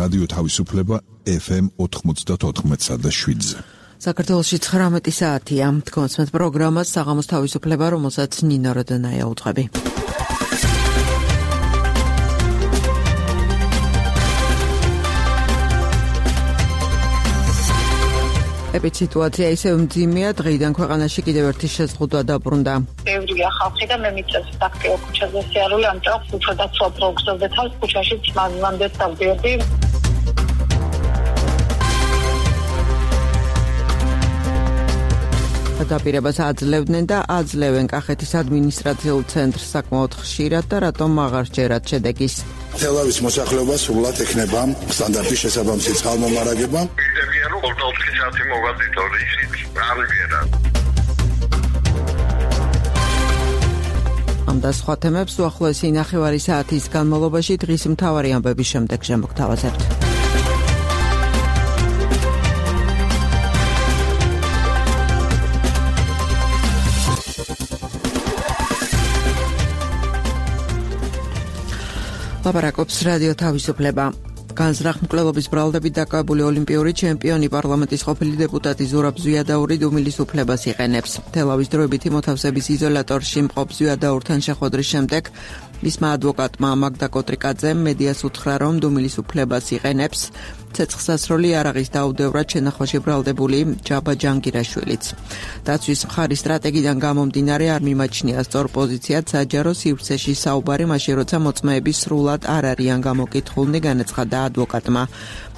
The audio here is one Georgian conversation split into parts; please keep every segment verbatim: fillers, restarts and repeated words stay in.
რადიო თავისუფლება ეფ ემ ოთხმოცდაოთხ და შვიდზე. საქართველოში ცხრამეტი საათია. თქვენს პროგრამას საღამოს თავისუფლება, რომელსაც ნინო როდონაია უძღვები. ეპიდემიологია ისევ მძიმეა, დღეიდან ქვეყანაში კიდევ ერთი შეზღუდვა დაბრუნდა. ბევრია ხალხი და მე მიწევს აქტიურ ქუჩაზე სიარული, ამიტომ უფრო დაცვა პროგნოზზე თავს ქუჩაში მანამდე დავდიოდი. დაპირებას აძლევდნენ და აძლევენ კახეთის ადმინისტრაციულ ცენტრს საკმაოდ ხშირად და რატომ აღარ ჯერათ შედეგის. თელავის მოსახლეობა სრულად ექნება სტანდარტის შესაბამისი წყალმომარაგება. ვიდებიან რომ ოცდაოთხი საათი მოვადით ორი ისიც არ ვიერა. ამ და სხვა თემებს უახლოესი ნახევარი საათის განმავლობაში დღის მთავარი ამბების შემდეგ შემოგთავაზებთ. ლაპარაკობს რადიო თავისუფლება. განზრახ-მკვლელობის ბრალდებით დაკავებული ოლიმპიური ჩემპიონი პარლამენტის ყოფილი დეპუტატი ზურაბ ზვიადაური დუმილის უფლებას იყენებს. თელავის დროებითი მოთავსების იზოლატორში მყოფ ზვიადაურთან შეხვედრის შემდეგ მისმა ადვოკატმა მაგდა კოტრიკაძემ მედიას უთხრა, რომ დუმილის უფლებას იყენებს. ცეცხლსასროლი იარაღის დაუდევრად შენახვაში ბრალდებული ჯაბა ჯანგირაშვილიც. დაცვის მხარის სტრატეგიდან გამომდინარე არ მიმაჩნია სწორ პოზიციად საჯარო სივრცეში საუბარი, მაშინ როცა მოწმეები სრულად არ არიან გამოკითხულნი, განაცხადა ადვოკატმა.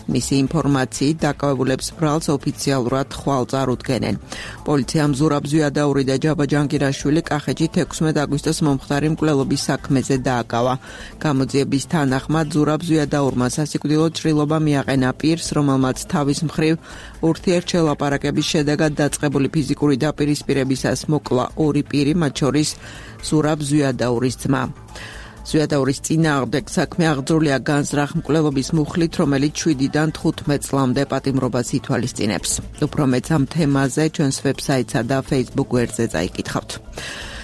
მისი ინფორმაციით დაკავებულებს ბრალს ოფიციალურად ხვალ წარუდგენენ. პოლიციამ ზურაბ ზვიადაური და ჯაბა ჯანგირაშვილი კახეთში ექვსმეტი აგვისტოს მომხდარი მკვლელობის საქმეზე დააკავა. გამოძიების თანახმად ზურაბ ზვიადაურმა სასიკვდილო ჭრილობა მიაყენა პირს, რომელმაც თავის მხრივ ურთიერთშელაპარაკების შედეგად დაწყებული ფიზიკური დაპირისპირებისას მოკლა ორი პირი, მათ შორის ზურაბ ზვიადაურის ძმა. ზვიადაურის წინააღმდეგ საქმე აღძრულია განზრახ-მკვლელობის მუხლით, რომელიც შვიდიდან თხუთმეტ წლამდე პატიმრობას ითვალისწინებს. უფრო მეც ამ თემაზე ჩვენს ვებსაიტსა და Facebook გვერდზე წაიკითხავთ.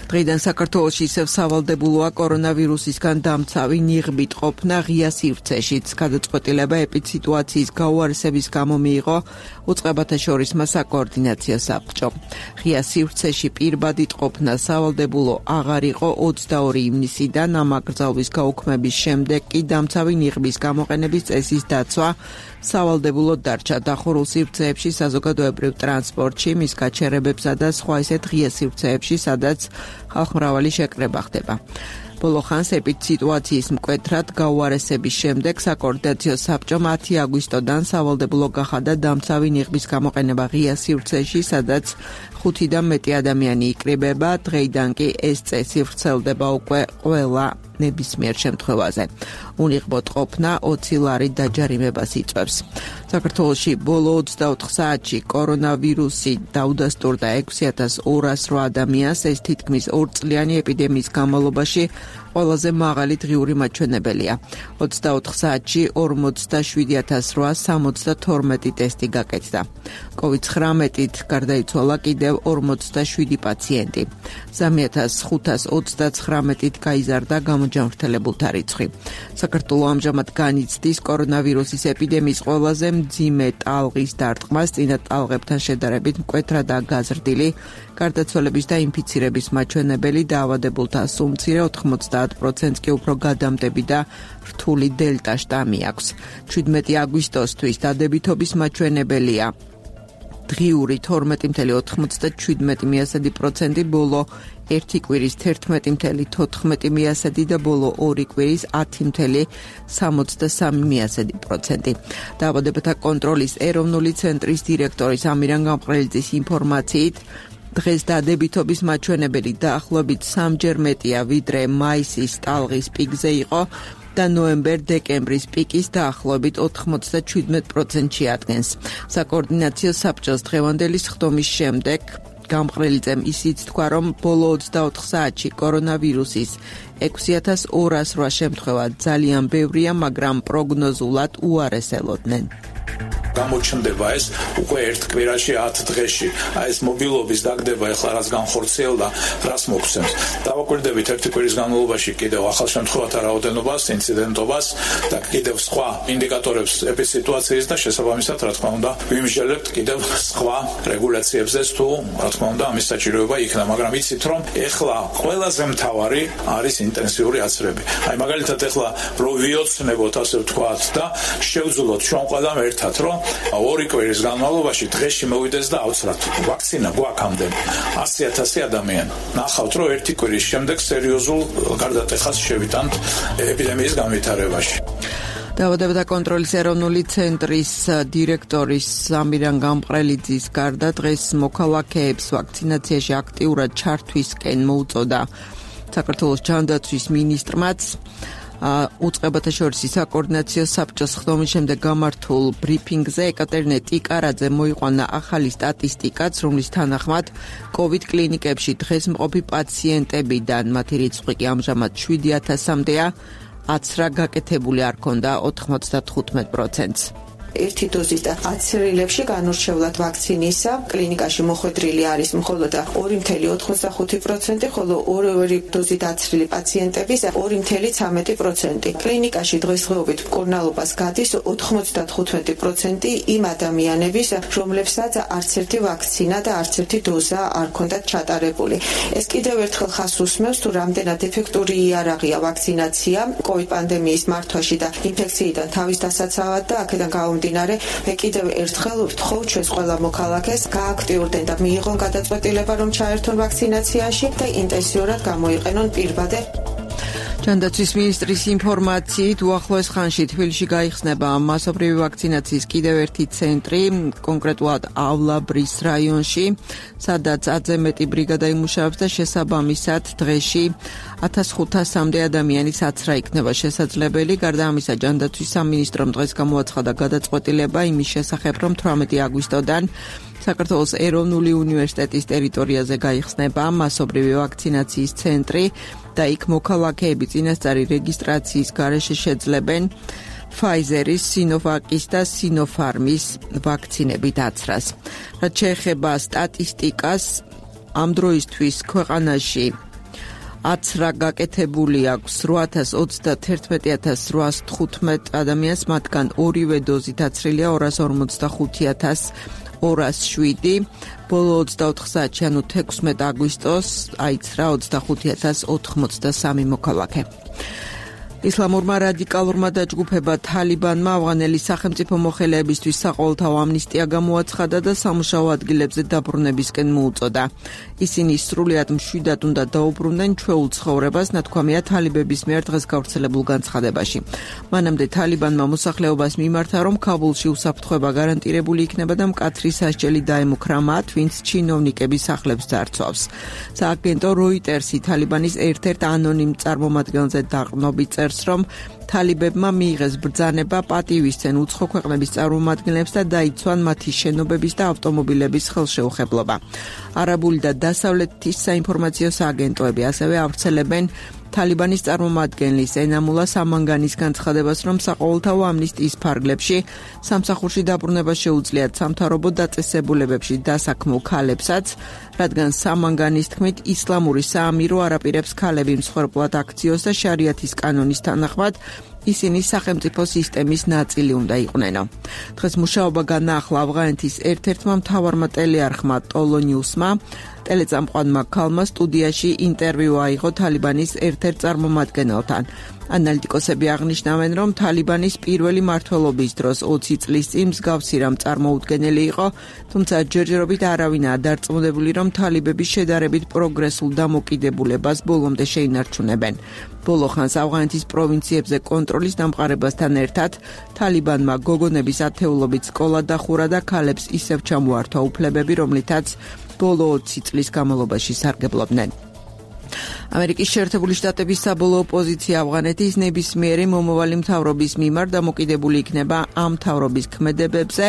დღეიდან საქართველოში ისევ სავალდებულოა კორონავირუსისგან დამცავი ნიღბით ყოფნა ღია სივრცეშიც. გადაწყვეტილება ეპიდსიტუაციის გაუარესების გამო მიიღო უწყებათა შორისმა საკოორდინაციო საბჭომ. ღია სივრცეში პირბადით ყოფნა სავალდებულო აღარ იყო ოცდაორი ივნისიდან, ამ აკრძალვის გაუქმების შემდეგ კი დამცავი ნიღბის გამოყენების წესის დაცვა სავალდებულოდ დარჩა. დახურულ სივრცეებში, საზოგადოებრივ ტრანსპორტში, მის გაჩერებებსა და სხვა ისეთ ღია სივრცეებში, სადაც ხალხმრავალი შეკრება ხდება. ბოლო ხანს ეპიდსიტუაციის მკვეთრად გაუარესების შემდეგ საკოორდინაციო საბჭომ ათი აგვისტოდან სავალდებულო გახადა დამცავი ნიღბის გამოყენება ღია სივრცეში, სადაც ხუთი და მეტი ადამიანი იკრიბება. დღეიდან კი ეს წესი ვრცელდება უკვე ყველა ნებისმიერ შემთხვევაზე. უნიღბოდ ყოფნა ოცი ლარი დაჯარიმებას იწვევს. საქართველოში ბოლო ოცდაოთხ საათში კორონავირუსი დაუდასტურდა ექვსი ათას ორას რვა ადამიანს. ეს თითქმის ორწლიანი ეპიდემიის განმავლობაში ყველაზე მაღალი დღიური მაჩვენებელია. ოცდაოთხ საათში ორმოცდაშვიდი ათას რვასა სამოცდათორმეტი ტესტი გაკეთდა. კოვიდ ცხრამეტით გარდაიცვალა კიდევ ორმოცდაშვიდი პაციენტი. სამი ათას ხუთას ოცდაცხრამეტით გაიზარდა გამოჯანმრთელებულთა რიცხვი. საქართველო ამჟამად განიცდის კორონავირუსის ეპიდემიის ყველაზე მძიმე ტალღის დარტყმას, წინა ტალღებთან შედარებით მკვეთრადაა გაზრდილი გარდაცვალების და ინფიცირების მაჩვენებელი, დაავადებულთა სუმცირე ოთხმოცდაათ პროცენტს კი უფრო გადამდები და რთული დელტა შტამი აქვს. შვიდმეტი აგვისტოსთვის დადებითობის მაჩვენებელია დღიური თორმეტი წუთი ოთხმოცდაშვიდი პროცენტი, ბოლო ერთი კვირის თერთმეტი წუთი თოთხმეტი პროცენტი და ბოლო ორი კვირის ათი წუთი სამოცდასამი პროცენტი. დაავადებათა კონტროლის ეროვნული ცენტრის დირექტორის ამირან გამყრელიძის ინფორმაციით, დღეს დადებითობის მაჩვენებელი დაახლოებით სამჯერ მეტია, ვიდრე მაისის ტალღის პიკზე იყო და ნოემბერ-დეკემბრის პიკის დაახლოებით ოთხმოცდაშვიდ პროცენტში ადგენს. საკოორდინაციო საბჭოს დღევანდელი სხდომის შემდეგ გამყრელიძემ ისიც თქვა, რომ ბოლო ოცდაოთხ საათში კორონავირუსის ექვსი ათას ორას რვა შემთხვევა ძალიან ბევრია, მაგრამ პროგნოზულად უარეს ელოდნენ. გამოჩნდება ეს უკვე ერთ კვირაში ათ დღეში. აი ეს მობილობის დაგდება ეხლა რაც განხორციელდა, რას მოგცემს. დავაკვირდებით ერთი კვირის განმავლობაში კიდევ ახალ შემთხვევათა რაოდენობას, ინციდენტობას და კიდევ სხვა ინდიკატორებს ეპიდემიის და შესაბამისად, რა თქმა უნდა, ვიმსჯელებთ კიდევ სხვა რეგულაციებზე თუ, რა თქმა უნდა, ამის საჭიროება იქნა, მაგრამ იცით რომ ეხლა ყველაზე მთავარი არის ინტენსიური აცრები. აი მაგალითად ეხლა რო ვიოცნებოთ, ასე ვთქვათ და შევძლოთ ჩვენ ყველამ ერთად, რომ ორი კვირის განმავლობაში დღეში მოვიდეს და ავცრათ. ვაქცინა გვაქვს ამდენი ასი ათასი ადამიანი. ნახავთ, რომ ერთი კვირის შემდეგ სერიოზულ გარდატეხას შევიტანთ ეპიდემიის განვითარებაში. დაავადებათა კონტროლის ეროვნული ცენტრის დირექტორის ამირან გამყრელიძის გარდა დღეს მოქალაქეებს ვაქცინაციაში აქტიურად ჩართვისკენ მოუწოდა საქართველოს ჯანდაცვის მინისტრმაც. უწყებათა შორის საკოორდინაციო საბჭოს ხდომის შემდეგ გამართულ ბრიფინგზე ეკატერინე ტიკარაძე მოიყვანა ახალი სტატისტიკაც, რომლის თანახმად კოვიდ კლინიკებში დღეს მყოფი პაციენტებიდან მათი რიცხვი კი ამჟამად შვიდი ათასამდეა, აცრა გაკეთებული არ ქონდა ოთხმოცდათხუთმეტ პროცენტს. ერთი დოზის და აცრილებში განურჩევლად ვაქცინისა კლინიკაში მოხვედრილი არის მხოლოდ ორი ფاصლე ოცდახუთი პროცენტი, ხოლო ორი დოზით აცრილი პაციენტების ორი ფაصლე ცამეტი პროცენტი. კლინიკაში დღესდღეობით მკურნალობას გადის ოთხმოცდათხუთმეტი პროცენტი იმ ადამიანების, რომლებსაც არც ერთი ვაქცინა და არც ერთი დოზა არ ქონდათ ჩატარებული. ეს კიდევ ერთხელ ხაზს უსმევს, თუ რამდენად ეფექტური იარაღია ვაქცინაცია კოვიდ პანდემიის მართვაში და ინფექციიდან თავის დასაცავად და აქედან გამომდინარე მე კიდევ ერთხელ ვთხოვ ჩვენს ყველა მოქალაქეს გააქტიურდნენ და მიიღონ გადაწყვეტილება რომ ჩაერთონ ვაქცინაციაში და ინტენსიურად გამოიყენონ პირბადე. ჯანდაცვის მინისტრის ინფორმაციით უახლოეს ხანში თბილისში გაიხსნება მასობრივი ვაქცინაციის კიდევ ერთი ცენტრი, კონკრეტულად ავლაბრის რაიონში, სადაც ათზე მეტი ბრიგადა იმუშავებს და შესაბამისად დღეში ათას ხუთასამდე ადამიანის აცრა იქნება შესაძლებელი. გარდა ამისა, ჯანდაცვის სამინისტრომ დღეს გამოაცხადა გადაწყვეტილება იმის შესახებ, რომ თვრამეტი აგვისტოდან საქართველოს ეროვნული უნივერსიტეტის ტერიტორიაზე გაიხსნება მასობრივი ვაქცინაციის ცენტრი და იქ მოქალაქეები წინასწარი რეგისტრაციის გარეშე შეძლებენ Pfizer-ის, Sinovac-ის და Sinopharm-ის ვაქცინებით აცრას. რაც შეეხება სტატისტიკას, ამ დროისთვის ქვეყანაში აცრა გაკეთებული აქვს რვა ათას ოცდაათი ათას რვაას თხუთმეტ ადამიანს, მათგან ორივე დოზით აცრილია ორას ორმოცდახუთი ათას ორას შვიდი, ბოლო ოცდაოთხ საათში, ანუ თექვსმეტ აგვისტოს აიცრა ოცდახუთი ათას ოთხმოცდასამი მოქალაქე. ისლამურმა რადიკალურმა დაჯგუფება თალიბანმა ავღანელი სახელმწიფო მოხელეებისთვის საყოველთაო ამნისტია გამოაცხადა და სამუშაო ადგილებზე დაბრუნებისკენ მოუწოდა. ისინი სრულიად მშვიდად უნდა დაუბრუნდნენ ჩვეულ ცხოვრებას, ნათქვამია თალიბების მიერ დღეს გავრცელებულ განცხადებაში. მანამდე თალიბანმა მოსახლეობას მიმართა, რომ ქაბულში უსაფრთხოება გარანტირებული იქნება და მკაცრი სასჯელი დაემუქრა მათ, ვინც ჩინოვნიკების სახლებს ძარცვავს. სააგენტო როიტერსი თალიბანის ერთ-ერთ ანონიმ წარმომადგენელზე დაყრდნობით წერს, რომ თალიბებმა მიიღეს ბრძანება პატივისცენ უცხო ქვეყნების წარმომადგენლებს და დაიცვან მათი შენობების და ავტომობილების ხელშეუხებლობა. არაბული და დასავლეთის საინფორმაციო სააგენტოები ასევე ავრცელებენ თალიბანის წარმომადგენლის ენამულა სამანგანის განცხადებას, რომ საყოველთაო ამნისტიის ფარგლებში სამსახურში დაბრუნება შეუძლიათ სამთავრობო დაწესებულებებში დასაქმულ ქალებსაც, რადგან სამანგანის თქმით ისლამური საამირო არ აპირებს ქალები მსხვერპლად აქციოს და შარიათის კანონის თანახმად ისინი სახელმწიფო სისტემის ნაწილი უნდა იყვნენ. დღეს მუშაობა განაახლა ავღანეთის ერთ-ერთმა მთავარმა ტელეარხმა ტოლო ნიუსმა. ტელეწამყვანმა ქალმა სტუდიაში ინტერვიუ აიღო თალიბანის ერთ-ერთ წარმომადგენელთან. ანალიტიკოსები აღნიშნავენ, რომ თალიბანის პირველი მმართველობის დროს ოცი წლის წინ მსგავსი რამ წარმოუდგენელი იყო, თუმცა ჯერჯერობით არავინაა დარწმუნებული, რომ თალიბები შედარებით პროგრესულ დამოკიდებულებას ბოლომდე შეინარჩუნებენ. ბოლო ხანს ავღანეთის პროვინციებზე კონტროლის დამყარებასთან ერთად თალიბანმა გოგონების ათეულობით სკოლა დახურა და ქალებს ისევ ჩამოართვა უფლებები, რომლითაც ბოლო ოცი წლის განმავლობაში სარგებლობდნენ. ამერიკის შეერთებული შტატების საბოლოო პოზიცია ავღანეთის ნებისმიერი მომავალი მთავრობის მიმართ დამოკიდებული იქნება ამ მთავრობის ქმედებებზე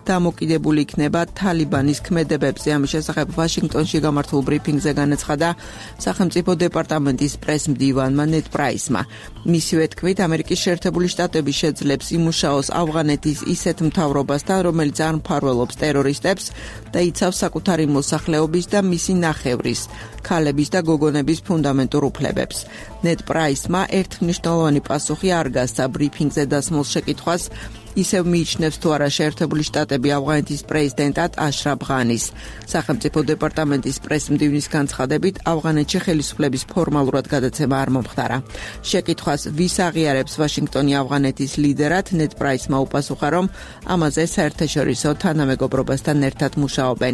დამოკიდებული იქნება თალიბანის ქმედებებზე. ამის შესახებ ვაშინგტონში გამართულ ბრიფინგზე განაცხადა სახელმწიფო დეპარტამენტის პრეს-მდივანმა ნედ პრაისმა. მისივე თქმით, ამერიკის შეერთებული შტატები შეძლებს იმუშაოს ავღანეთის ისეთ მთავრობასთან, რომელიც არ მფარველობს ტერორისტებს და იცავს საკუთარი მოსახლეობის და მისი ნახევრის, ქალების და გოგონების ფუნდამენტურ უფლებებს. ნედ პრაისმა ერთმნიშვნელოვანი პასუხი არ გასცა ბრიფინგზე დასმულ შეკითხვას, ისევ მიიჩნევს თუ არა შეერთებული შტატები ავღანეთის პრეზიდენტად აშრაფ ღანის. სახელმწიფო დეპარტამენტის პრეს-მდივნის განცხადებით, ავღანეთში ხელისუფლების ფორმალურად გადაცემა არ მომხდარა. შეკითხვას ვის აღიარებს ვაშინგტონი ავღანეთის ლიდერად, ნედ პრაისმა უპასუხა, რომ ამაზე საერთაშორისო თანამეგობრობასთან ერთად მუშაობენ.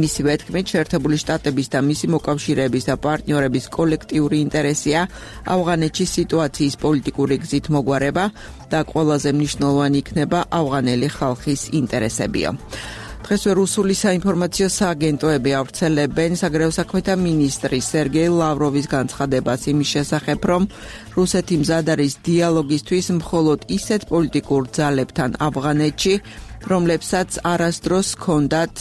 მისივე თქმით, შეერთებული შტატების და მისი მოკავშირეების და პარტნიორების კოლექტიური ინტერესია ავღანეთში სიტუაციის პოლიტიკური გზით მოგვარება და ყველაზე მნიშვნელოვანი იქნება ავღანელი ხალხის ინტერესებიო. დღესვე რუსული საინფორმაციო სააგენტოები ავრცელებენ საგარეო საქმეთა მინისტრის სერგეი ლავროვის განცხადებას იმის შესახებ, რომ რუსეთი მზად არის დიალოგისთვის მხოლოდ ისეთ პოლიტიკურ ძალებთან ავღანეთში, რომლებსაც არასდროს ჰქონდათ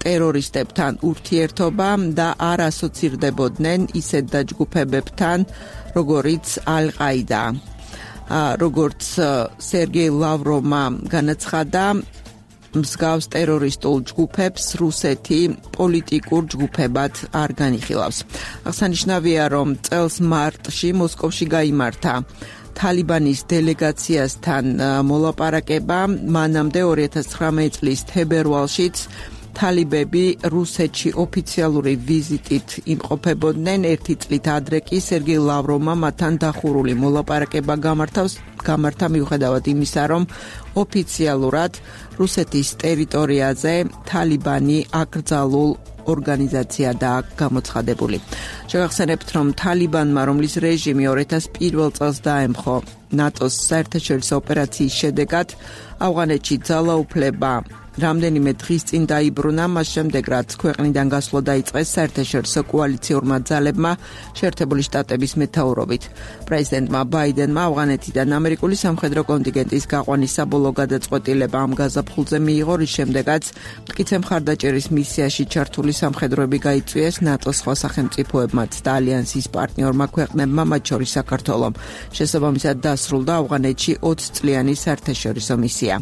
ტერორისტებთან ურთიერთობა და არ ასოცირდებოდნენ ისეთ დაჯგუფებებთან, როგორიც ალ-ყაიდა. როგორც სერგეი ლავროვმა განაცხადა, მსგავს ტერორისტულ ჯგუფებს რუსეთი პოლიტიკურ ჯგუფებად არ განიხილავს. აღსანიშნავია, რომ წელს მარტში მოსკოვში გაიმართა თალიბანის დელეგაციასთან მოლაპარაკება, მანამდე ორი ათას ცხრამეტი წლის თებერვალშიც თალიბები რუსეთში ოფიციალური ვიზიტით იმყოფებოდნენ. ერთი წლით ადრე კი სერგეი ლავროვმა მათთან დახურული მოლაპარაკება გამართავს გამართა მიუხედავად იმისა, რომ ოფიციალურად რუსეთის ტერიტორიაზე თალიბანი აკრძალულ ორგანიზაცია და გამოცხადებული. შევახსენებთ, რომ თალიბანმა, რომლის რეჟიმი ორი ათას პირველ წელს დაემხო ნატოს საერთაშორისო ოპერაციის შედეგად, ავღანეთში ძალაუფლება რამდენიმე დღის წინ დაიბრუნა, მას შემდეგ რაც ქვეყნიდან გასვლა დაიწყეს საერთაშორისო კოალიციურმა ძალებმა შეერთებული შტატების მეთაურობით. პრეზიდენტმა ბაიდენმა ავღანეთიდან ამერიკული სამხედრო კონტინგენტის გაყვანის საბოლოო გადაწყვეტილება ამ გაზაფხულზე მიიღო, რის შემდეგაც მტკიცე მხარდაჭერის მისიაში ჩართული სამხედროები გაიწვიეს ნატოს სხვა სახელმწიფოებმაც და ალიანსის პარტნიორმა ქვეყნებმა, მათ შორის საქართველომ. შესაბამისად დასრულდა ავღანეთში ოცი წლიანი საერთაშორისო მისია.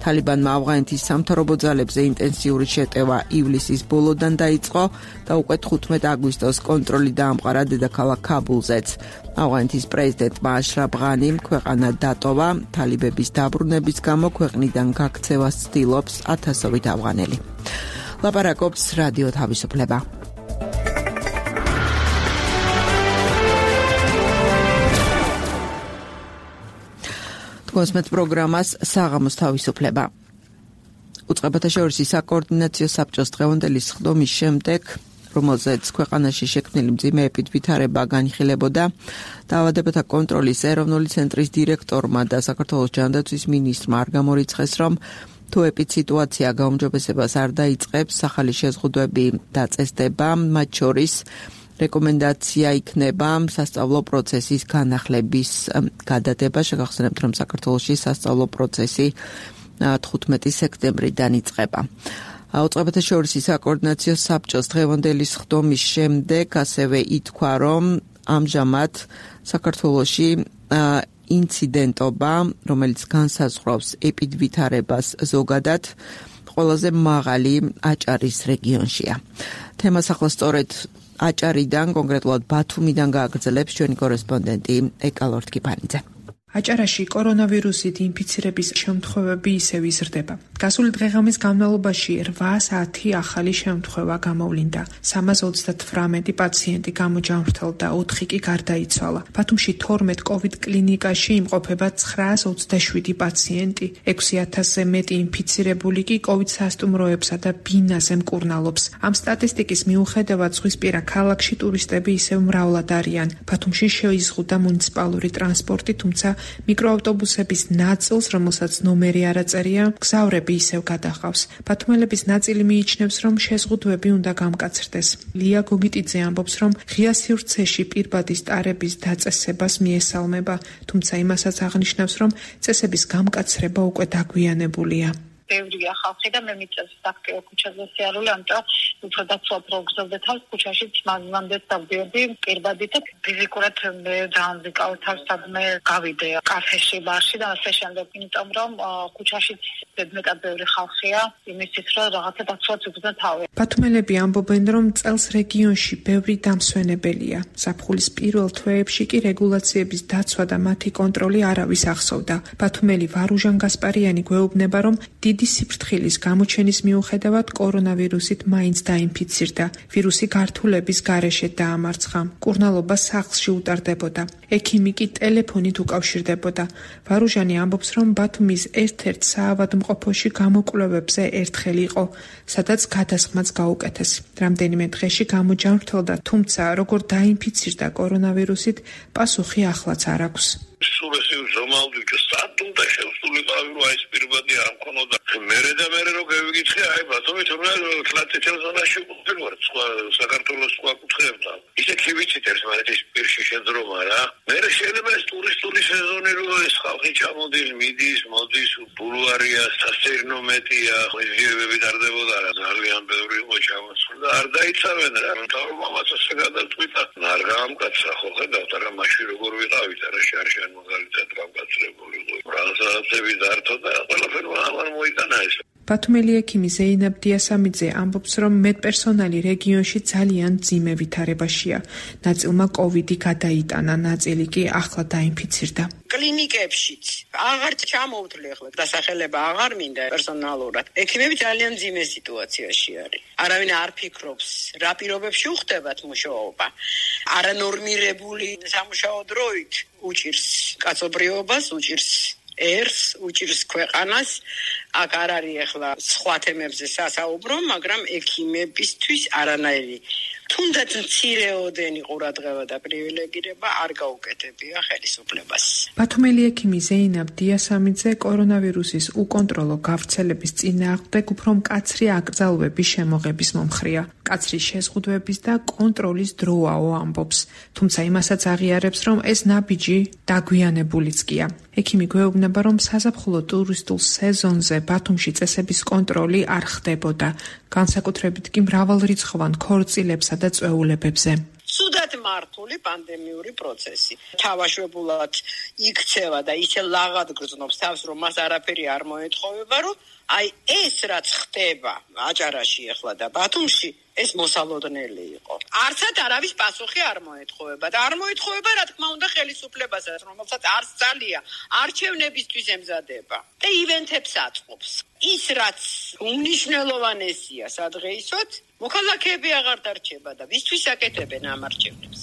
თალიბანმა ავღანეთის სამთავრობო ძალებზე ინტენსიური შეტევა ივლისის ბოლოდან დაიწყო და უკვე თხუთმეტ აგვისტოს კონტროლი დაამყარა დედაქალაქ ქაბულზეც. ავღანეთის პრეზიდენტმა აშრაფ ღანიმ ქვეყანა დატოვა, თალიბების დაბრუნების გამო ქვეყნიდან გაქცევას ცდილობს ათასობით ავღანელი. ლაპარაკობს რადიო თავისუფლება. თქოსმეთ პროგრამას საღამოს თავისუფლება. უწყებათა შორისი საკოორდინაციო საბჭოს დღევანდელი სხდომის შემდეგ, რომელზეც ქვეყანაში შექმნილი მძიმე ეპიდვითარება განიხილებოდა, დაავადებათა კონტროლის ეროვნული ცენტრის დირექტორმა და საქართველოს ჯანდაცვის მინისტრმა არ გამორიცხეს, რომ თუ ეპიდსიტუაცია გაუმჯობესებას არ დაიწყებს, ახალი შეზღუდვები დაწესდება, მათ შორის რეკომენდაცია იქნება სასწავლო პროცესის განახლების გადადება. შეგახსენებთ, რომ საქართველოში სასწავლო პროცესი თხუთმეტი სექტემბრიდან იწყება. უწყებათა შორისი საკოორდინაციო საბჭოს დღევანდელი სხდომის შემდეგ ასევე ითქვა, რომ ამჟამად საქართველოში ინციდენტობა, რომელიც განსაზღვრავს ეპიდვითარებას ზოგადად, ყველაზე მაღალი აჭარის რეგიონშია. თემას ახლა სწორედ აჭარიდან, კონკრეტულად ბათუმიდან გააგრძელებს ჩვენი კორესპონდენტი ეკალორთ კიფანიძე. აჭარაში კორონავირუსით ინფიცირების შემთხვევები ისევ იზრდება. გასული დღე-ღამის განმავლობაში რვა საათი ახალი შემთხვევა გამოვლინდა. სამას ოცდათვრამეტი პაციენტი გამოჯანმრთელდა, ოთხი კი გარდაიცვალა. ბათუმში თორმეტ კოვიდ კლინიკაში იმყოფება ცხრაას ოცდაშვიდი პაციენტი. ექვსი ათასზე მეტი ინფიცირებული კი კოვიდ სასტუმროებსა და ბინაზე მკურნალობს. ამ სტატისტიკის მიუხედავად ზღვისპირა ქალაქში ტურისტები ისევ მრავლად არიან. ბათუმში შეიზღუდა მუნიციპალური ტრანსპორტი, თუმცა მიკროავტობუსების ნაწილს, რომელსაც ნომერი არ აწერია, გზავრები ისევ გადახავს. ბათუმელების ნაწილი მიიჩნევს, რომ შეზღუდვები უნდა გამკაცრდეს. ლია გოგიტიძე ამბობს, რომ ღია სივრცეში პირბადის ტარების დაწესებას მიესალმება, თუმცა იმასაც აღნიშნავს, რომ წესების გამკაცრება უკვე დაგვიანებულია. ბევრია ხალხი და მე მიწევს აქტიურ ქუჩაზე სიარული, ამიტომ უფრო დაცვა პროგნოზზე თავს ქუჩაში მანამდე დავდიოდი პირბადით და ფიზიკურად მე დაამზიკავე თავს სადმე გავიდე კაფეში, ბარში და ასე შემდეგ, იმიტომ რომ ქუჩაში მეტად ბევრი ხალხია იმისთვის რომ რაღაცა დაცვაც უგზნო თავი. ბათუმელები ამბობენ, რომ წელს რეგიონში ბევრი დამსვენებელია. ზაფხულის პირველ თვეებში კი რეგულაციების დაცვა და მათი კონტროლი არავის ახსოვდა. ბათუმელი ვარუჟან გასპარიანი გვეუბნება, რომ დიდი სიფრთხილის გამოჩენის მიუხედავად კორონავირუსით მაინც დაინფიცირდა. ვირუსი გართულების გარეშე დაამარცხა. მკურნალობა სახლში უტარდებოდა. ექიმი კი ტელეფონით უკავშირდებოდა. ვარუჟანი ამბობს, რომ ბათუმის ერთ-ერთ საავადმყოფოში გამოკვლევებზე ერთხელ იყო, სადაც გადასხმაც გაუკეთეს. რამდენიმე დღეში გამოჯანმრთელდა, თუმცა როგორ დაინფიცირდა კორონავირუსით, პასუხი ახლაც არ აქვს. სულესი ზომალდი და სტატუნდა შევსულიყავი რომ აი პირბადი არ მქონოდა. მერე და მერე რო გავიგიცხე, აი ბათუმი თორე თლათეთელ ზონაში ვარ, სხვა საქართველოს სხვა კუთხეებდა. ისე კი ვიცით ეს მაგრამ ეს პირში შეძრომა რა. მერე შეიძლება ეს ტურისტული სეზონი რო ეს ხალხი ჩამოდის, მიდის, მოდის, ბულვარია, სასერნო მეტია, ხიზიებები დარდებოდა რა. ძალიან ბევრი იყო ჩამოსული და არ დაიცავენ რა. თავ მამაც ასე გადაწყვიტა. არ გაამკაცა ხო ხედავთ რა მაშინ როგორ ვიყავით რა შარშან მაგალითად გამკაცრებული იყო. პრანსაცები დართო და ყველაფერი ამან მოიტანა ეს. ბათუმელი ექიმი ზეინაბ დიასამიძე ამბობს, რომ მედპერსონალი რეგიონში ძალიან მძიმე ვითარებაშია. ნაწილმა კოვიდი გადაიტანა, ნაწილი კი ახლა დაინფიცირდა. კლინიკებშიც აღარ ჩამოუთვლი ახლა დასახელება აღარ მინდა პერსონალურად. ექიმები ძალიან მძიმე სიტუაციაში არის. არავინ არ ფიქრობს, რა პირობებში უხდებათ მუშაობა. არანორმირებული სამუშაო დროით უჭირს კაცობრიობას, უჭირს ერს, უჭირს ქვეყანას. აქ არ არის ახლა სხვა თემებზე სასაუბრო, მაგრამ ექიმებისთვის არანაირი თუნდაც მცირეოდენი ყურადღება და პრივილეგირება არ გაუკეთებია ხელისუფლებას. ბათუმელი ექიმი ზეინაბ დიასამიძე კორონავირუსის უკონტროლო გავრცელების წინააღმდეგ უფრო მკაცრი აკრძალვების შემოღების მომხრეა. მკაცრი შეზღუდვების და კონტროლის დროაო ამბობს, თუმცა იმასაც აღიარებს, რომ ეს ნაბიჯი დაგვიანებულიც კია. ექიმი გვეუბნება, რომ საზაფხულო ტურისტულ სეზონზე ბათუმში წესების კონტროლი არ ხდებოდა, განსაკუთრებით კი მრავალრიცხოვან ქორწილებსა და წვეულებებზე. სუდად მართული პანდემიური პროცესი. თავაშვებულად იქცევა და ისე ლაღად გრძნობს თავს, რომ მას არაფერი არ მოეთხოვება, რომ აი ეს რაც ხდება აჭარაში ახლა და ბათუმში, ეს მოსალოდნელი იყო. არცად არავის პასუხი არ მოეთხოვება და არ მოეთხოვება, რა თქმა უნდა, ხელისუფლებასაც, რომელსაც არც ძალია არჩევნებისთვის ემზადება და ივენთებს აწყობს. ის რაც უმნიშვნელოვანესია სადღეისოდ, მოქალაქეები აღარ დარჩება და ვისთვის აკეთებენ ამ არჩევნებს.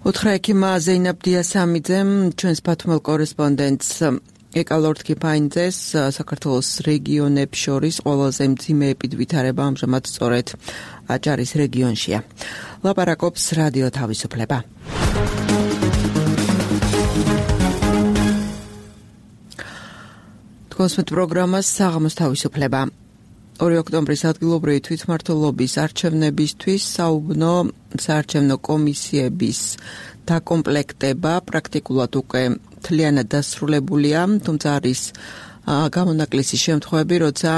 უთხრა ექიმა ზეინაბ დიასამიძემ ჩვენს ბათუმელ კორესპონდენტს ეკალორდ კიფაინძეს საქართველოს რეგიონებს შორის ყველაზე მძიმე ეპიდვითარება ამჟამად სწორედ აჭარის რეგიონშია. ლაპარაკობს რადიო თავისუფლება. თქვენს პროგრამას საღამოს თავისუფლება. ორი ოქტომბრის ადგილობრივი თვითმმართველობის არჩევნებისთვის საუბნო საარჩევნო კომისიების დაკომპლექტება პრაქტიკულად უკვე მთლიანად დასრულებულია, თუმცა არის გამონაკლისი შემთხვევები, როცა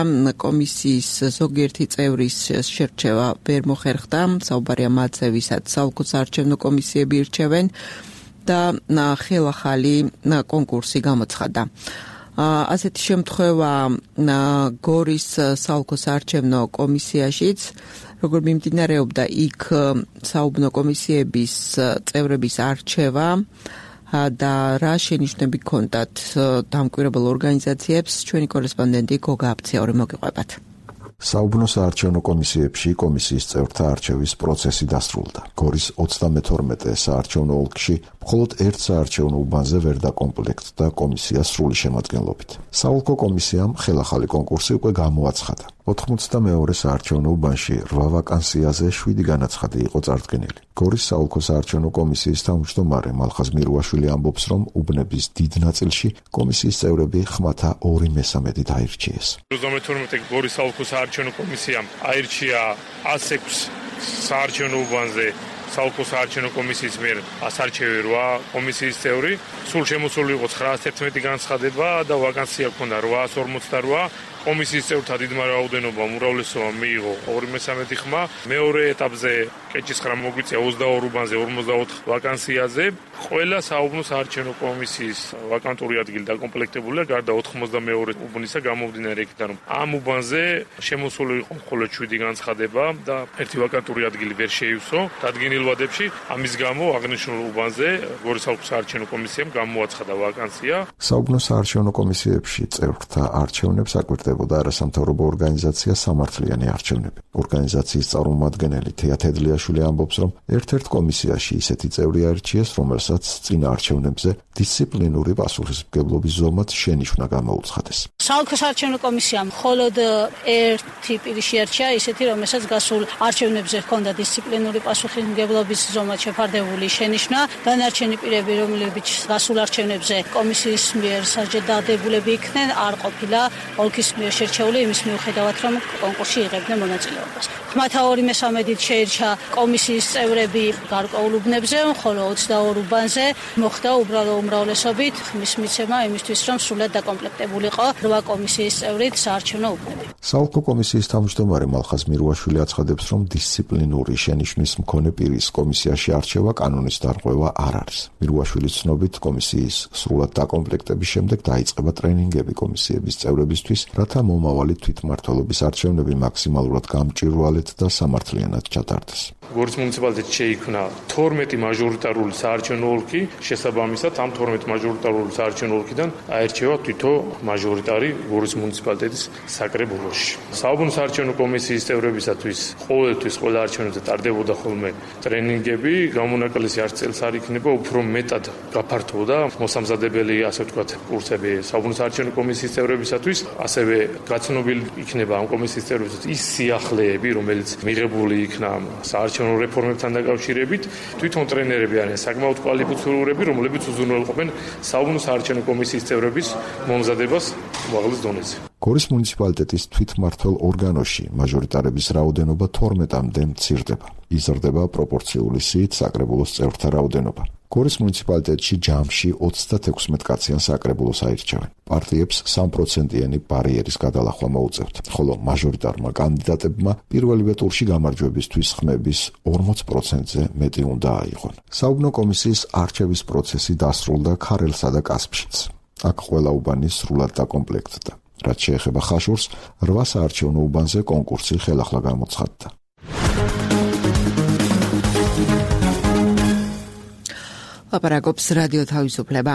კომისიის ზოგიერთი წევრის შერჩევა ვერ მოხერხდა, საუბარია მათზე, ვისაც საოლქო საარჩევნო კომისიები ირჩევენ და ხელახალი კონკურსი გამოცხადდა. ასეთი შემთხვევა გორის საოლქო საარჩევნო კომისიაშიც, როგორ მიმდინარეობდა იქ საუბნო კომისიების წევრების არჩევა და რა შენიშვნები ჰქონდათ დამკვირვებელ ორგანიზაციებს, ჩვენი კორესპონდენტი გოგა აფციური მოგიყვებათ. საუბნო საარჩევნო კომისიებში კომისიის წევრთა არჩევის პროცესი დასრულდა. გორის ოცდამეთორმეტე საარჩევნო ოლქში მხოლოდ ერთ საარჩევნო უბანზე ვერ დაკომპლექტდა კომისია სრული შემადგენლობით. საოლქო კომისიამ ხელახალი კონკურსი უკვე გამოაცხადა. ოთხმოცდამეორე საარჩევნო უბანში რვა ვაკანსიაზე შვიდი განაცხადი იყო წარდგენილი. გორის საოლქო საარჩევნო კომისიის თავმჯდომარე მალხაზ მირუაშვილი ამბობს, რომ უბნების დიდ ნაწილში კომისიის წევრები ხმათა ორი მესამედით აირჩიეს. ოცდამეთორმეტე გორის საოლქო საარჩევნო კომისიამ აირჩია ათს ექვსი საარჩევნო უბანზე საოლქო საარჩევნო კომისიის მიერ ასარჩევი რვა კომისიის წევრი, სულ შემოსული იყო ცხრაას ერთმეტი განცხადება და ვაკანსია ჰქონდა რვაას ორმოცდარვა, კომისიის წევრთა დიდმა რაოდენობამ უმრავლესობამ მიიღო ორი მესამედი ხმა. მეორე ეტაპზე კეჭისხრა მოგვიწია ოცდაორ უბანზე ორმოცდაოთხ ვაკანსიაზე. ყველა საუბნო საარჩევნო კომისიის ვაკანტური ადგილი დაკომპლექტებულია, გარდა ოთხმოცდამეორე უბნისა გამომდინარე იქიდან, რომ ამ უბანზე შემოსული იყო მხოლოდ შვიდი განცხადება და ერთი ვაკანტური ადგილი ვერ შეივსო დადგენილ ვადებში. ამის გამო აღნიშნულ უბანზე გორის საუბნო საარჩევნო კომისიამ გამოაცხადა ვაკანსია. საუბნო საარჩევნო კომისიებში წევრთა არჩევნებს აკვირდებოდა არასამთავრობო ორგანიზაცია სამართლიანი არჩევნები. ორგანიზაციის წარმომადგენელი თეა თედლიაშვილი ამბობს, რომ ერთ-ერთ კომისიაში ისეთი წევრი აირჩიეს, რომელსაც წინა არჩევნებზე დისციპლინური პასუხისმგებლობის ზომად შენიშვნა გამოუცხადეს. საოლქო საარჩევნო კომისიამ მხოლოდ ერთი პირი შეარჩია, ისეთი, რომელსაც გასულ არჩევნებზე ჰქონდა დისციპლინური პასუხისმგებლობის ზომად შეფარდებული შენიშვნა. დანარჩენი პირები, რომლებიც გასულ არჩევნებზე კომისიის მიერ სასჯელად დადებულები იქნენ, არ ყოფილა ოლქის მიერ შერჩეული იმის მიუხედავად, რომ კონკურსში იღებდნენ მონაწილეობას. ხმათა ორი მესამედით შეირჩა კომისიის წევრები გარკვეულ უბნებზე, ხოლო ოცდაორ უბანზე მოხდა უბრალო უმრავლესობით ხმის მიცემა იმისთვის, რომ სრულად დაკომპლექტებულიყო რვა კომისიის წევრით საარჩევნო უბნები. საოლქო კომისიის თავმჯდომარე მალხაზ მირუაშვილი აცხადებს, რომ დისციპლინური შენიშვნის მქონე პირის კომისიაში არჩევა კანონის დარღვევა არ არის. მირუაშვილის ცნობით, კომისიის სრულად დაკომპლექტების შემდეგ დაიწყება ტრენინგები კომისიების წევრებისთვის, რათა მომავალი თვითმმართველობის არჩევნები მაქსიმალურად გამჭვირვალედ და სამართლიანად ჩატარდეს. გორის მუნიციპალიტეტში შეიქმნა თორმეტი მაჟორიტარული საარჩევნო ოლქი, შესაბამისად ამ თორმეტ მაჟორიტარული საარჩევნო ოლქიდან აერჩევა თვითო მაჟორიტარი გორის მუნიციპალიტეტის საკრებულოში. საუბნო საარჩევნო კომისიის წევრებისათვის ყოველთვის ყველა არჩევნებზე ტარდებოდა ხოლმე ტრენინგები, გამონაკლისი არც წელს არ იქნება, უფრო მეტად გაფართოვდა მოსამზადებელი, ასე ვთქვათ, კურსები საუბნო საარჩევნო კომისიის წევრებისათვის, ასევე გაცნობილი იქნება ამ კომისიის წევრებისათვის ის სიახლეები, რომელიც მიღებული იქნა საარჩევნო რეფორმებთან დაკავშირებით. თვითონ ტრენერები არიან საკმაოდ კვალიფიცირებულები, რომლებიც უზრუნველყოფენ საუბნო საარჩევნო კომისიის წევრების მომზადებას უმაღლეს დონეზე. გორის მუნიციპალიტეტის თვითმმართველ ორგანოში მაჟორიტარების რაოდენობა თორმეტამდე მცირდება. იზრდება პროპორციული სიით საკრებულოს წევრთა რაოდენობა. გორის მუნიციპალიტეტში ჯამში ოცდათექვსმეტ კაციან საკრებულოს აირჩევენ. პარტიებს სამ პროცენტიანი ბარიერის გადალახვა მოუწევთ, ხოლო მაჟორიტარმა კანდიდატებმა პირველივე ტურში გამარჯვებისთვის ხმების ორმოც პროცენტზე მეტი უნდა აიღონ. საუბნო კომისიის არჩევის პროცესი დასრულდა ქარელსა და კასპშიც. აქ ყველა უბანი სრულად დაკომპლექტდა. რაც შეეხება ხაშურს, რვა საარჩევნო უბანზე კონკურსი ხელახლა გამოცხადდა. ლაპარაკობს რადიო თავისუფლება.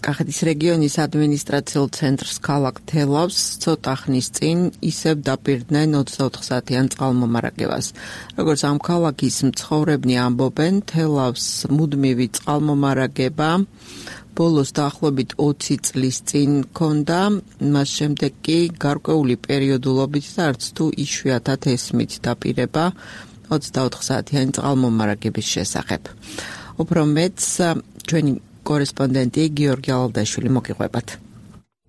კახეთის რეგიონის ადმინისტრაციულ ცენტრს ქალაქ თელავს ცოტა ხნის წინ ისევ დაპირდნენ ოცდაოთხ საათიან წყალმომარაგებას. როგორც ამ ქალაქის მცხოვრებნი ამბობენ, თელავს მუდმივი წყალმომარაგება ბოლოს დაახლოებით ოცი წლის წინ ჰქონდა, მას შემდეგ კი გარკვეული პერიოდულობით და არც თუ იშვიათად ესმით დაპირება ოცდაოთხ საათიანი წყალმომარაგების შესახებ. უფრო მეტს ჩვენი კორესპონდენტი გიორგი ალალდაშვილი მოგიყვებათ.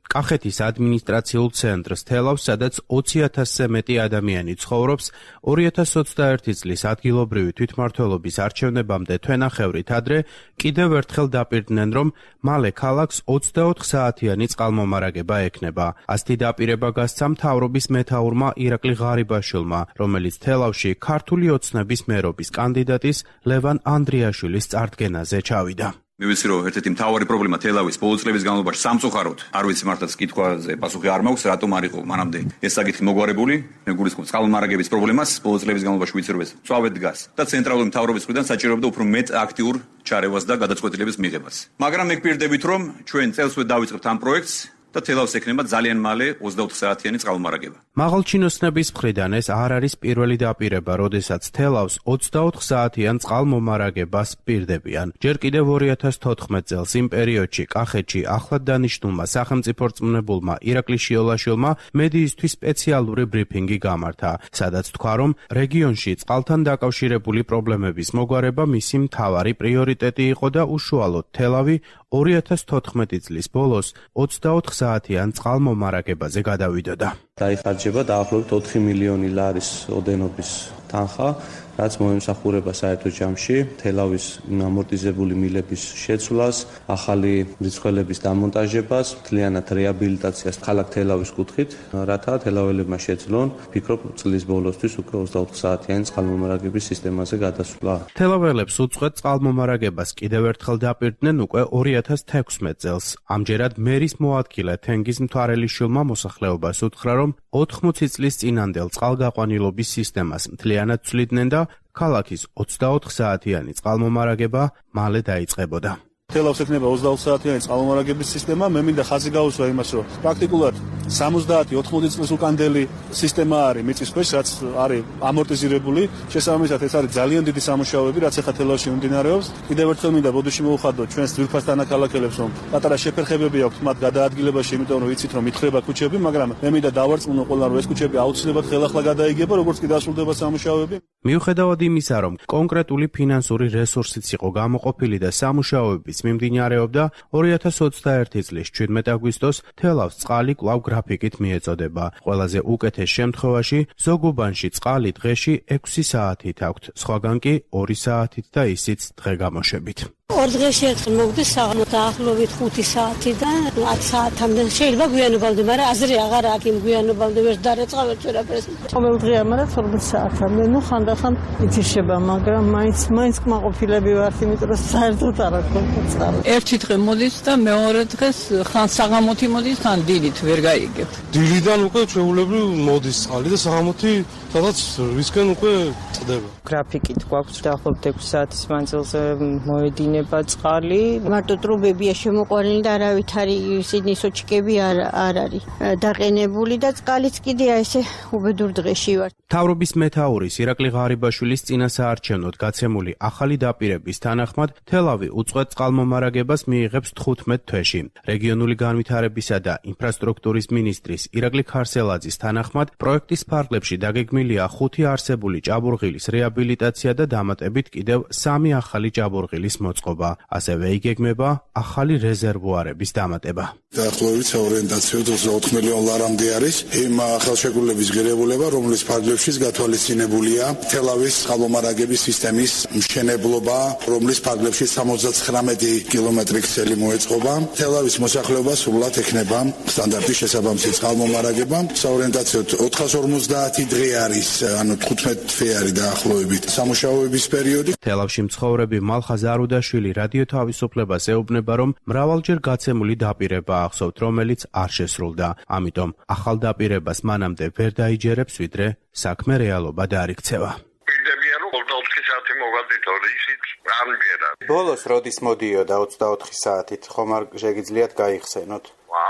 კახეთის ადმინისტრაციულ ცენტრს თელავს, სადაც ოცი ათასზე მეტი ადამიანი ცხოვრობს, ორი ათას ოცდაერთი წლის ადგილობრივი თვითმმართველობის არჩევნებამდე თვენახევრით ადრე კიდევ ერთხელ დაპირდნენ, რომ მალე ქალაქს ოცდაოთხ საათიანი წყალმომარაგება ექნება. ასეთი დაპირება გასცა მთავრობის მეთაურმა ირაკლი ღარიბაშვილმა, რომელიც თელავში ქართული ოცნების მერობის კანდიდატის ლევან ანდრიაშვილის წარდგენაზე ჩავიდა. მე ვიცი რომ ერთ-ერთი მთავარი პრობლემა თელავის ბოლო წლების განმავლობაში სამწუხაროდ არ ვიცი მართლაც კითხვაზე პასუხი არ მაქვს, რატომ არ იყო მანამდე ეს საკითხი მოგვარებული. მე გულისხმობ წყალმომარაგების პრობლემას ბოლო წლების განმავლობაში ვიცი რომ ეს წვავედ დგას და ცენტრალური მთავრობის მხრიდან საჭიროებდა უფრო მეტ აქტიურ ჩარევას და გადაწყვეტილების მიღებას. მაგრამ მე გვპირდებით რომ ჩვენ წელსვე დავიწყებთ ამ პროექტს და თელავს ექნება ძალიან მალე ოცდაოთხ საათიანი წყალმომარაგება. მაღალჩინოსნების მხრიდან ეს არ არის პირველი დაპირება, როდესაც თელავს ოცდაოთხ საათიან წყალმომარაგებას პირდებიან. ჯერ კიდევ ორი ათას თოთხმეტ წელს იმ პერიოდში კახეთში ახლად დანიშნულმა სახელმწიფო რწმუნებულმა ირაკლი შიოლაშვილმა მედიისთვის სპეციალური ბრიფინგი გამართა, სადაც თქვა, რომ რეგიონში წყალთან დაკავშირებული პრობლემების მოგვარება მისი მთავარი პრიორიტეტი იყო და უშუალოდ თელავი ორი ათას თოთხმეტი წლის ბოლოს ოცდაოთხ საათიან წყალმომარაგებაზე გადავიდოდა. დაიხარჯება დაახლოებით ოთხი მილიონი ლარის ოდენობის თანხა, რაც მოემსახურება საერთო ჯამში თელავის ამორტიზებული მილების შეცვლას, ახალი მრიცხველების დამონტაჟებას, მთლიანად რეაბილიტაციას ქალაქ თელავის კუთხით, რათა თელაველებმა შეძლონ, ფიქრობ, წლის ბოლოსთვის უკვე ოცდაოთხ საათიანი წყალმომარაგების სისტემაზე გადასვლა. თელაველებს უწყვეტ წყალმომარაგებას კიდევ ერთხელ დაპირდნენ უკვე ორი ათას თექვსმეტ წელს. ამჯერად მერის მოადგილე თენგიზ მთვარელიშვილმა მოსახლეობას უთხრა, რომ ოთხმოცი წლის წინანდელ წყალგაყვანილობის სისტემას მთლიანად ცვლიდნენ და ქალაქის ოცდაოთხ საათიანი წყალმომარაგება მალე დაიწყებოდა. თელავს ექნება ოცდაოთხ საათიანი წყალმომარაგების სისტემა, მე მინდა ხაზი გაუსვა იმას, რომ პრაქტიკულად სამოცდაათი ოთხმოცი წლის უკანდელი სისტემა არის მიწის ქვეშ, რაც არის ამორტიზირებული. შესაბამისად, ეს არის ძალიან დიდი სამუშაოები, რაც ახლა თელავში მიმდინარეობს. კიდევ ერთხელ მინდა ბოდიში მოვხადოთ ჩვენს ძვირფას თანაქალაქელებს, რომ პატარა შეფერხებები აქვთ მათ გადაადგილებაში, იმიტომ რომ ვიცით, რომ ითხრება ქუჩები, მაგრამ მე მინდა დავარწმუნო ყველამ, რომ ეს ქუჩები აუცილებლად ხელახლა გადაიგება, როგორც კი დასრულდება სამუშაოები. მიუხედავად იმისა, რომ კონკრეტული ფინანსური რესურსიც იყო გამოყოფილი და სამუშაოებიც მიმდინარეობდა, ორი ათას ოცდაერთი წლის ჩვიდმეტ აგვისტოს თელავს წყალი კვლავ გრაფიკით მიეწოდება. ყველაზე უკეთეს შემთხვევაში ზოგ-უბანში წყალი დღეში ექვსი საათით აქვთ, სხვაგან კი ორი საათით და ისიც დღე-გამოშვებით. ორ დღეში ერთხელ მოგდის საღამოს დაახლოებით ხუთი საათიდან ათ საათამდე. შეიძლება გვიანობამდე, მაგრამ აზრი აღარ აქვს იმ გვიანობამდე ვერ დარეწყა ვერ ვერაფერს. ყოველ დღე ამარად ორმოცი საათამდე. ნუ ხანდახან ითიშება, მაგრამ მაინც მაინც კმაყოფილები ვართ, იმიტომ რომ საერთოდ არ აქვს წყალი. ერთი დღე მოდის და მეორე დღეს ხან საღამოთი მოდის, ხან დილით ვერ გაიგებ. დილიდან უკვე ჩვეულებრივ მოდის წყალი და საღამოთი სადაც რისკენ უკვე წდება. გრაფიკით გვაქვს დაახლოებით ექვსი საათის მანძილზე მოედინება წყალი. მარტო ტრუბებია შემოყვანილი და არავით არის ისინი სოჩიკები არ არ არის დაყენებული და წყალიც კიდე ესე უბედურ დღეში ვარ. მთავრობის მეთაურის ირაკლი ღარიბაშვილის წინასაარჩევნოდ გაცემული ახალი დაპირების თანახმად თელავი უწყვეტ წყალმომარაგებას მიიღებს თხუთმეტ თვეში. რეგიონული განვითარებისა და ინფრასტრუქტურის მინისტრის ირაკლი ქარსელაძის თანახმად პროექტის ფარგლებში დაგეგმილია ხუთი არსებული ჭაბურღილის რეაბილიტაცია და დამატებით კიდევ სამი ახალი ჭაბურღილის მოწყობა. ასევე იგეგმება ახალი რეზერვუარების დამატება. დაახლოებით საორიენტაციოდ ოცდაოთხ მილიონ ლარამდე არის იმ ხელშეკრულების ღირებულება, რომლის ფარგლებშიც გათვალისწინებულია თელავის წყალმომარაგების სისტემის მშენებლობა, რომლის ფარგლებში სამოცდაცხრამეტი კილომეტრი ქსელი მოეწყობა. თელავის მოსახლეობა სრულად ექნება სტანდარტის შესაბამისი წყალმომარაგება. საორიენტაციოდ ოთხას ორმოცდაათი დღე არის, ანუ თხუთმეტ თვე არის დაახლოებით სამუშაოების პერიოდი. თელავში მცხოვრები მალხაზ არუდაშვილი რადიო თავისუფლებას ეუბნება, რომ მრავალჯერ გაცემული დაპირება ახსოვთ, რომელიც არ შესრულდა. ამიტომ ახალ დაპირებას მანამდე ვერ დაიჯერებს, ვიდრე საქმე რეალობა დაარიქცევა. პირდებიან რომ ოცდაოთხი საათი მოვადით, ისიც არ მიგერა. ბოლოს როდის მოდიოდა ოცდაოთხი საათით, ხომ არ შეგიძლიათ გაიხსენოთ?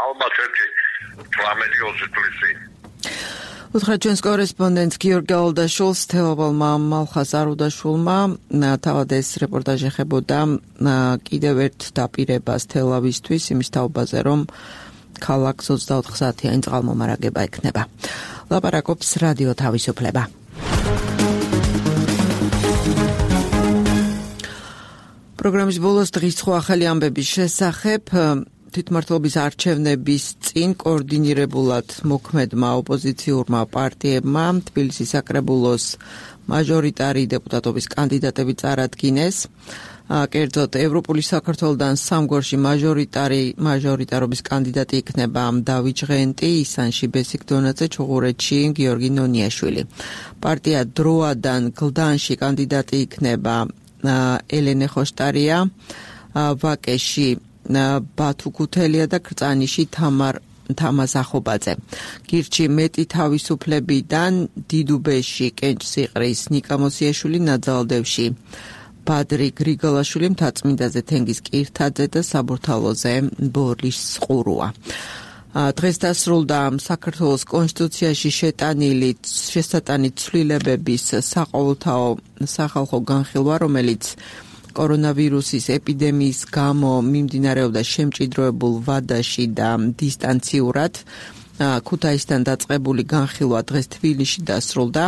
ალბათ ერთი თვრამეტი ოცი წლის წინ. უთხრა ჩვენს კორესპონდენტს გიორგი ალდაშულს, თელავალმა მალხაზ არუდაშვილმა. თავად ეს რეპორტაჟი ეხებოდა კიდევ ერთ დაპირებას თელავისთვის, იმის თაობაზე, რომ ქალაქს ოცდაოთხ საათიანი წყალმომარაგება ექნება. ლაპარაკობს რადიო თავისუფლება. პროგრამის ბოლოს დღის სხვა ახალი ამბების შესახებ თვითმმართველობის არჩევნების წინ კოორდინირებულად მოქმედმა ოპოზიციურმა პარტიებმა თბილისის საკრებულოს მაჟორიტარი დეპუტატობის კანდიდატები წარადგინეს. კერძოდ ევროპული საქართველოდან სამგორში მაჟორიტარი მაჟორიტარობის კანდიდატი იქნება დავით ჟღენტი, ისანში ბესიკ დონაძე, ჩუღურეთში გიორგი ნონიაშვილი. პარტია დროადან გლდანში კანდიდატი იქნება ელენე ხოშტარია, ვაკეში ბათუ ქუთელია და კრწანიში თამარ თამაზ ახობაძე. გირჩი მეტი თავისუფლებიდან დიდუბეში კენჭ სიყრის ნიკა მოსიაშვილი, ნაძალდევში ბადრი გრიგოლაშვილი, მთაწმინდაზე თენგიზ კირთაძე და საბურთალოზე ბორლის ყურუა. დღეს დასრულდა საქართველოს კონსტიტუციაში შეტანილი შესატანი ცვლილებების საყოველთაო სახალხო განხილვა, რომელიც კორონავირუსის ეპიდემიის გამო მიმდინარეობდა შემჭიდროებულ ვადაში და დისტანციურად. ქუთაისთან დაწყებული განხილვა დღეს თბილისში დასრულდა.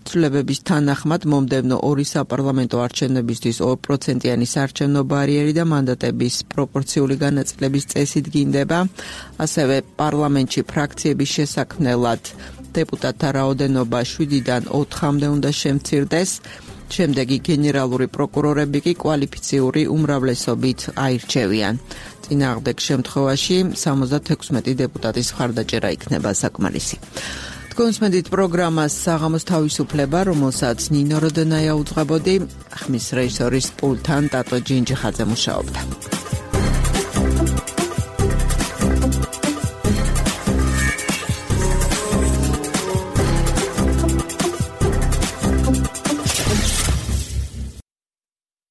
ცვლილებების თანახმად მომდევნო ორი საპარლამენტო არჩევნებისთვის ორ პროცენტიანი საარჩევნო ბარიერი და მანდატების პროპორციული განაწილების წესი დგინდება. ასევე პარლამენტში ფრაქციების შესაქმნელად დეპუტატთა რაოდენობა შვიდიდან ოთხამდე უნდა შემცირდეს. შემდეგი გენერალური პროკურორები კი კვალიფიციური უმრავლესობით აირჩევიან. წინააღმდეგ შემთხვევაში სამოცდათექვსმეტი დეპუტატის მხარდაჭერა იქნება საკმარისი. თქვენსმენდით პროგრამას საღამოს თავისუფლება, რომელსაც ნინო როდენაია უძღვებოდი, ხმის რეჟისორის პულტთან ტატო ჯინჯიხაძე მუშაობდა.